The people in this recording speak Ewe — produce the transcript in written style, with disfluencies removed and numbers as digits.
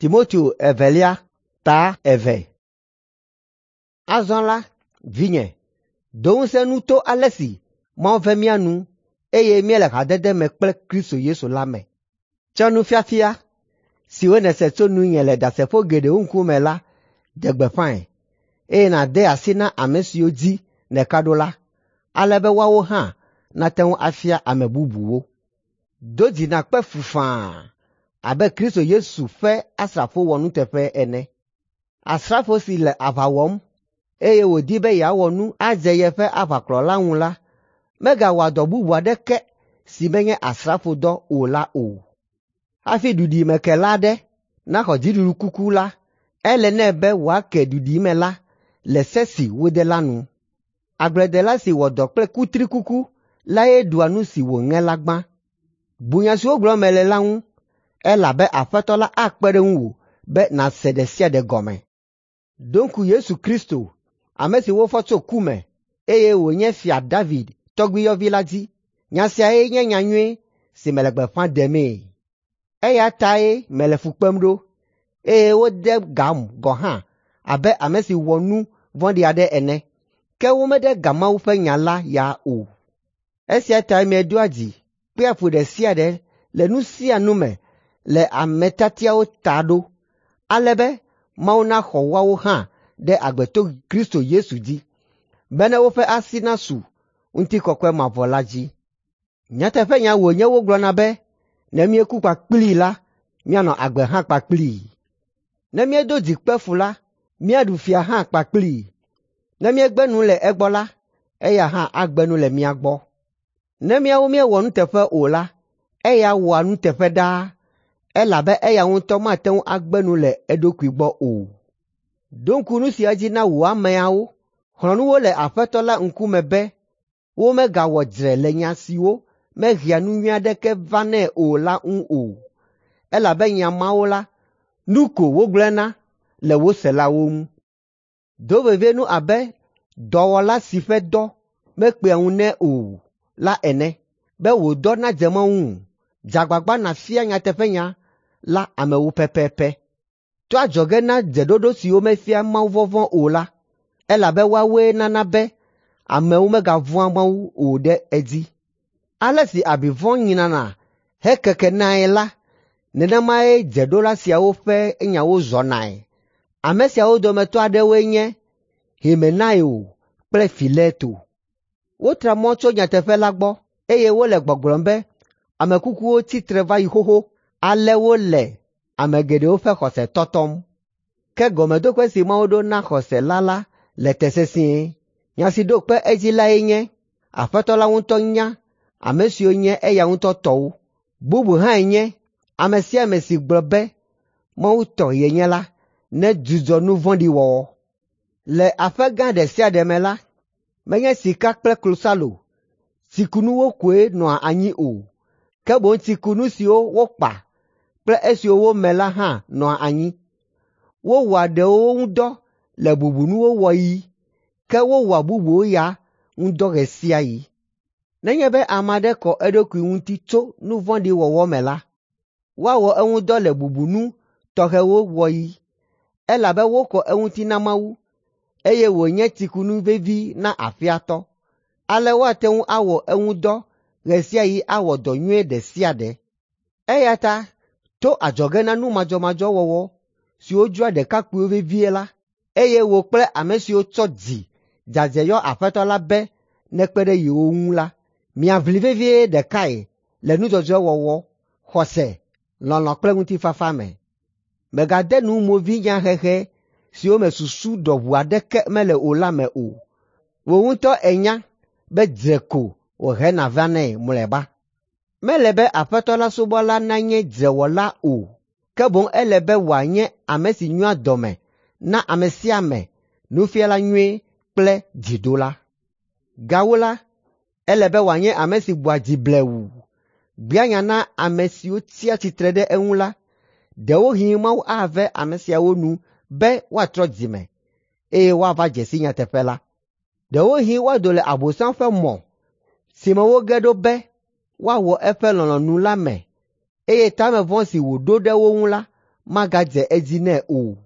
Timoteo evelia ta 2. Azɔ la, vinye, do ŋusẽ nu to ale si Mawu ve mía nu eye míele hadede me kple Kristo Yesu la me. Tsɔ nufiafia siwo nèse tso nunye le ɖasefo geɖewo ŋkume la ɖe gbeƒãe, eye nàde asi na ame siwo dzi nèka ɖo la, ale be woawo hã nate ŋu afia ame bubuwo. Do dzi nàkpe fu faa abe Kristo Yesu ƒe asrafo wɔnuteƒe ene. Asrafo si le aʋa wɔm eye wòdi be yeawɔ nu adze yeƒe aʋakplɔla ŋu la, megawɔa dɔ bubu aɖeke si menye asrafodɔ o la o. Hafi duɖimekela aɖe naxɔ dziɖuɖukuku la, ele nɛ be wòake duɖime la le se si wode la nu. Agbledela si wɔ dɔ kple kutrikuku lae ɖua nu si wòŋe la gbã. Bu nya siwo gblɔm mele la ŋu, elabe Aƒetɔ la akpe ɖe ŋuwò be nàse ɖe sia ɖe gɔme. Ɖo ŋku Yesu Kristo, ame si wofɔ tso ku me eye wònye Fia David tɔgbuiyɔvi la dzi. Nya siae nye nyanyui si mele gbeƒã ɖemee. Eya tae mele fu kpem ɖo, eye wode gam gɔ̃ hã abe ame si wɔ nu vɔ̃ɖi aɖe ene. Ke womede ga Mawu ƒe nya la ya o. Esia tae medoa dzi kpea fu ɖe sia ɖe le nu sia nu me le ame tiatiawo ta ɖo, ale be Mawu naxɔ woawo hã ɖe agbe to Kristo Yesu dzi, bene woƒe asi nasu ŋutikɔkɔe mavɔ la dzi. Nyateƒenya wònye wogblɔna be ne míeku kpakplii la, míanɔ agbe hã kpakplii. Ne míedo dzi kpe fu la, míaɖu fia hã kpakplii. Ne míegbe nu le egbɔ la, eya hã agbe nu le mía gbɔ. Ne míawo míewɔ nuteƒe o la, eya wɔa nuteƒe ɖaa, elabe eya ŋutɔ mate ŋu agbe nu le eɖokui gbɔ o. Ɖo ŋku nu sia dzi na wò ameawo. Xlɔ̃ nu wo le Aƒetɔ la ŋkume be womegawɔ dzre le nya siwo mehea nu nyui aɖeke vanɛ o la ŋu o, elabe nya mawo la, nu ko wogblẽna le wo selawo ŋu. Do vevie nu abe dɔwɔla si ƒe dɔ mekpea ŋu nɛ o la ene, be wò dɔ nadze Mawu ŋu. Dze agbagba nàfia nyateƒenya la amewo pɛpɛpɛ. To adzɔge na dzeɖoɖo siwo mefia mawuvɔvɔ̃ o la, elabe woawoe nana be amewo megavɔ̃a Mawu o ɖe edzi. Ale si abi vɔ̃ nyrana hekekenae la, nenemae dzeɖola siawo ƒe nyawo zɔnae. Ame siawo dometɔ aɖewoe nye Himenaio kple Fileto. Wotra mɔ tso nyateƒe la gbɔ eye wole gbɔgblɔm be ame kukuwo tsi tre va yi xoxo, ale wole ame geɖewo ƒe xɔse tɔtɔm. Ke gɔmeɖokpe si Mawu ɖo na xɔse la la le te sesĩe. Nya si ɖo kpe edzi lae nye, Aƒetɔ la ŋutɔ nya ame siwo nye eya ŋutɔ tɔwo. Bubu hãe nye, ame sia ame si gblɔ be Mawu tɔ yenye la, nedzudzɔ nu vɔ̃ɖi wɔwɔ. Le aƒe gã ɖe sia ɖe me la, menye sika kple klosalo, tsikunuwo koe nɔa anyi o, ke boŋ tsikunu siwo wokpa kple esiwo wome la hã nɔa anyi. Wowɔa ɖewo ŋu dɔ le bubunuwo wɔɣi, ke wowɔa bubuwo ya ŋu dɔ ɣe sia ɣi. Nenye be ame aɖe kɔ eɖokui ŋuti tso nu vɔ̃ɖi wɔwɔ me la, woawɔ eŋu dɔ le bubunu tɔxɛwo wɔɣi, elabe wokɔ eŋuti na Mawu, eye wònye tsikunu vevi na aƒea tɔ. Ale woate ŋu awɔ eŋu dɔ ɣe sia ɣi awɔ dɔ nyui ɖe sia ɖe. Eya ta to adzɔge na nu madzɔmadzɔ wɔwɔ siwo dzroa ɖekakpuiwo vevie la, eye wò kple ame siwo tsɔ dzi dzadzɛ yɔ Aƒetɔ la be nekpe ɖe yewo ŋu la, miaʋli vevie ɖekae le nu dzɔdzɔe wɔwɔ, xɔse, lɔlɔ̃ kple ŋutifafa me. Mègade nu movinyahehe siwo me susu ɖɔʋu aɖeke mele o la me o. Wò ŋutɔ ènya be dzre ko wòhena vanɛ mlɔeba. Mele be Aƒetɔ la subɔla nanye dzrewɔla o, ke boŋ ele be wòanye ame si nyoa dɔme na ame sia ame, nufiala nyui kple dzidola. Gawu la, ele be wòanye ame si gbɔa dzi blewu, gbea nya na ame siwo tsia tsitre ɖe eŋu la. Ɖewohĩ Mawu ave ame siawo nu be woatrɔ dzime, eye woava dze si nyateƒe la. Ɖewohĩ woado le Abosam ƒe mɔ si me woge ɖo be woawɔ eƒe lɔlɔ̃nu la me, eye tame vɔ̃ si wòɖo ɖe wo ŋu la magadze edzi nɛ o.